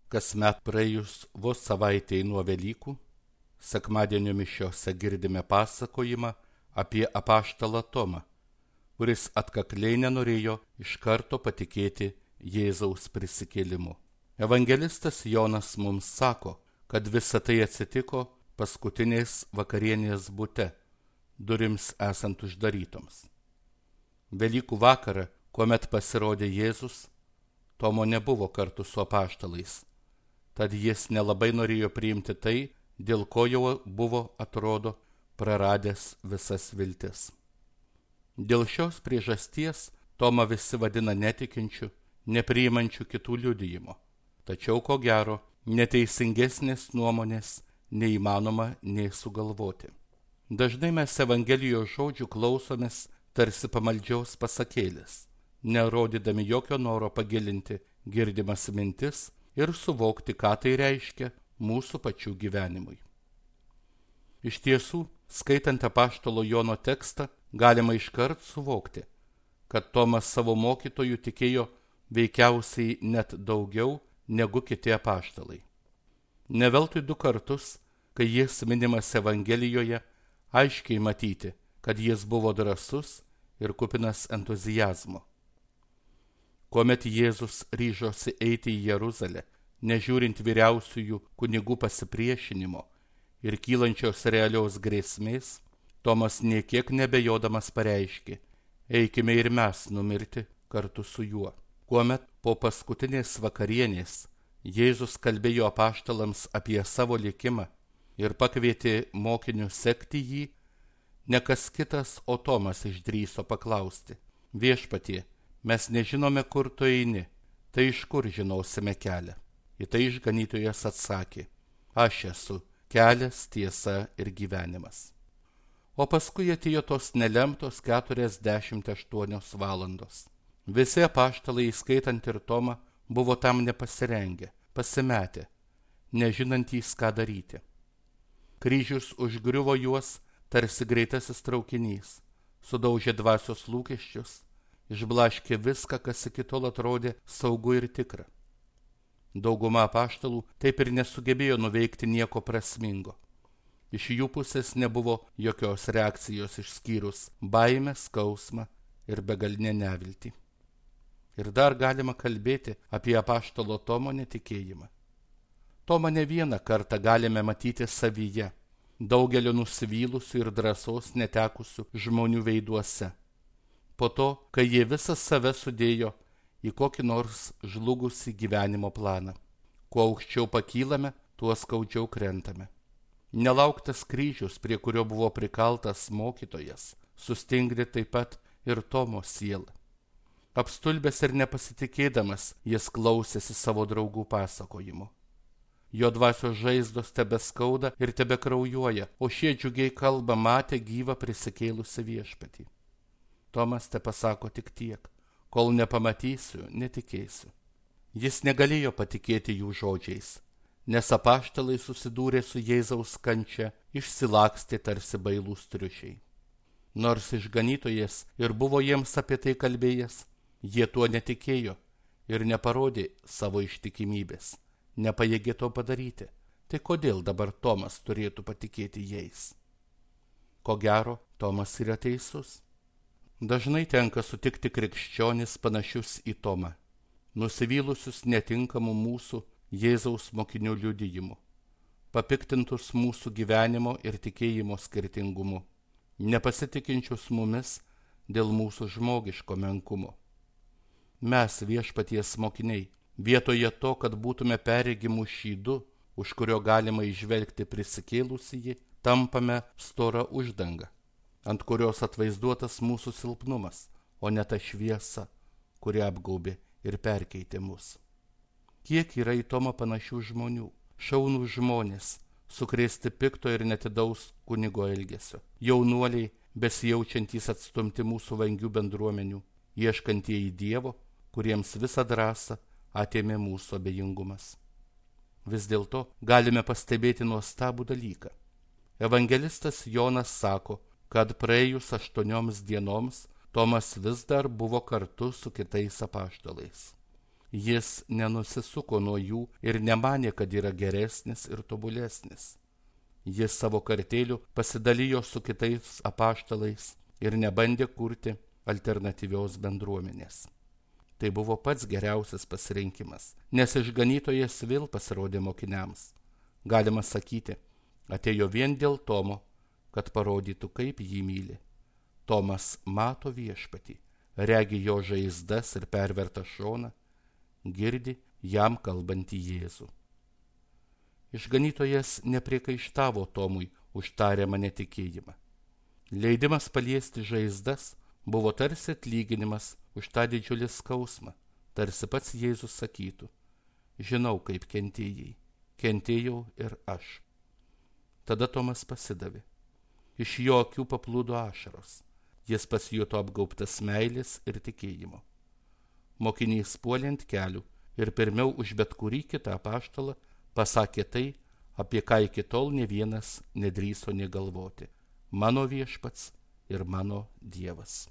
Kasmet praėjus vos savaitėj nuo Velykų, sekmadienio mišiose girdime pasakojimą apie apaštalą Tomą, kuris atkakliai nenorėjo iš karto patikėti Jėzaus prisikėlimu. Evangelistas Jonas mums sako, kad visa tai atsitiko paskutinės vakarienės bute, durims esant uždarytoms. Velykų vakarą, kuomet pasirodė Jėzus, Tomo nebuvo kartu su apaštalais, tad jis nelabai norėjo priimti tai, dėl ko jau buvo, atrodo, praradęs visas viltis. Dėl šios priežasties Tomą visi vadina netikinčiu, nepriimančiu kitų liudijimo. Tačiau, ko gero, neteisingesnės nuomonės neįmanoma nei sugalvoti. Dažnai mes Evangelijos žodžių klausomės tarsi pamaldžiaus pasakėlės, nerodydami jokio noro pagilinti girdimas mintis ir suvokti, ką tai reiškia mūsų pačių gyvenimui. Iš tiesų, skaitant apaštalo Jono tekstą, galima iškart suvokti, kad Tomas savo mokytojų tikėjo veikiausiai net daugiau negu kiti apaštalai. Ne veltui 2 kartus, kai jis minimas Evangelijoje, aiškiai matyti, kad jis buvo drąsus ir kupinas entuziazmo. Kuomet Jėzus ryžosi eiti į Jeruzalę, nežiūrint vyriausiųjų kunigų pasipriešinimo ir kylančios realios grėsmės, Tomas nė kiek nebejodamas pareiškė: eikime ir mes numirti kartu su juo. Kuomet po paskutinės vakarienės Jėzus kalbėjo apaštalams apie savo likimą ir pakvietė mokinius sekti jį, ne kas kitas, o Tomas išdrįso paklausti: viešpatie, mes nežinome, kur tu eini, tai iš kur žinosime kelią? Į tai išganytojas atsakė: aš esu kelias, tiesa ir gyvenimas. O paskui atėjo tos nelemtos 48 valandos. Visi apaštalai, įskaitant ir Tomą, buvo tam nepasirengę, pasimetę, nežinantys, ką daryti. Kryžius užgriuvo juos tarsi greitasis traukinys, sudaužė dvasios lūkesčius, išblaškė viską, kas iki tol atrodė saugu ir tikra. Dauguma apaštalų taip ir nesugebėjo nuveikti nieko prasmingo. Iš jų pusės nebuvo jokios reakcijos išskyrus baimę, skausmą ir begalinę neviltį. Ir dar galima kalbėti apie apaštalo Tomo netikėjimą. Tomą ne vieną kartą galime matyti savyje, daugelio nusivylusių ir drąsos netekusių žmonių veiduose. Po to, kai jie visą save sudėjo į kokį nors žlugusį gyvenimo planą. Kuo aukščiau pakylame, tuo skaudžiau krentame. Nelauktas kryžius, prie kurio buvo prikaltas mokytojas, sustingdė taip pat ir Tomo sielą. Apstulbęs ir nepasitikėdamas, jis klausėsi savo draugų pasakojimų. Jo dvasios žaizdos tebeskauda ir tebekraujuoja, o šie džiugiai kalba matę gyvą prisikėlusią viešpatį. Tomas tepasako tik tiek: kol nepamatysiu, netikėsiu. Jis negalėjo patikėti jų žodžiais, nes apaštalai susidūrė su Jėzaus kančia, išsilakstė tarsi bailūs triušiai. Nors išganytojas ir buvo jiems apie tai kalbėjęs, jie tuo netikėjo ir neparodė savo ištikimybės, nepajėgė to padaryti. Tai kodėl dabar Tomas turėtų patikėti jais? Ko gero, Tomas yra teisus. Dažnai tenka sutikti krikščionis panašius į Tomą, nusivylusius netinkamų mūsų Jėzaus mokinių liudijimu, papiktintus mūsų gyvenimo ir tikėjimo skirtingumu, nepasitikinčius mumis dėl mūsų žmogiško menkumo. Mes, viešpaties mokiniai, vietoje to, kad būtume perregimų šydu, už kurio galima įžvelgti prisikėlusįjį, tampame storą uždangą, ant kurios atvaizduotas mūsų silpnumas, o ne ta šviesa, kuri apgaubė ir perkeitė mus. Kiek yra į Tomą panašių žmonių, šaunų žmonės, sukrėsti pikto ir netidaus kunigo elgesio, jaunuoliai, besijaučiantys atstumti mūsų vangių bendruomenių, ieškantieji Dievo, kuriems visą drąsą atėmė mūsų abejingumas. Vis dėlto galime pastebėti nuostabų dalyką. Evangelistas Jonas sako, kad praėjus 8 dienoms Tomas vis dar buvo kartu su kitais apaštalais. Jis nenusisuko nuo jų ir nemanė, kad yra geresnis ir tobulesnis. Jis savo kartėliu pasidalijo su kitais apaštalais ir nebandė kurti alternatyvios bendruomenės. Tai buvo pats geriausias pasirinkimas, nes išganytojas vėl pasirodė mokiniams. Galima sakyti, atėjo vien dėl Tomo, kad parodytų, kaip jį myli. Tomas mato viešpatį, regi jo žaizdas ir pervertą šoną, girdi jam kalbantį Jėzų. Išganytojas nepriekaištavo Tomui už tariamą netikėjimą. Leidimas paliesti žaizdas buvo tarsi atlyginimas už tą didžiulį skausmą, tarsi pats Jėzus sakytų: žinau, kaip kentėjai, kentėjau ir aš. Tada Tomas pasidavė. Iš jo akių paplūdo ašaros. Jis pasijuto apgaubtas meilės ir tikėjimo. Mokinys puolė ant kelių ir pirmiau už bet kurį kitą apaštalą pasakė tai, apie ką iki tol nė vienas nedrįso nė galvoti: mano viešpats ir mano Dievas.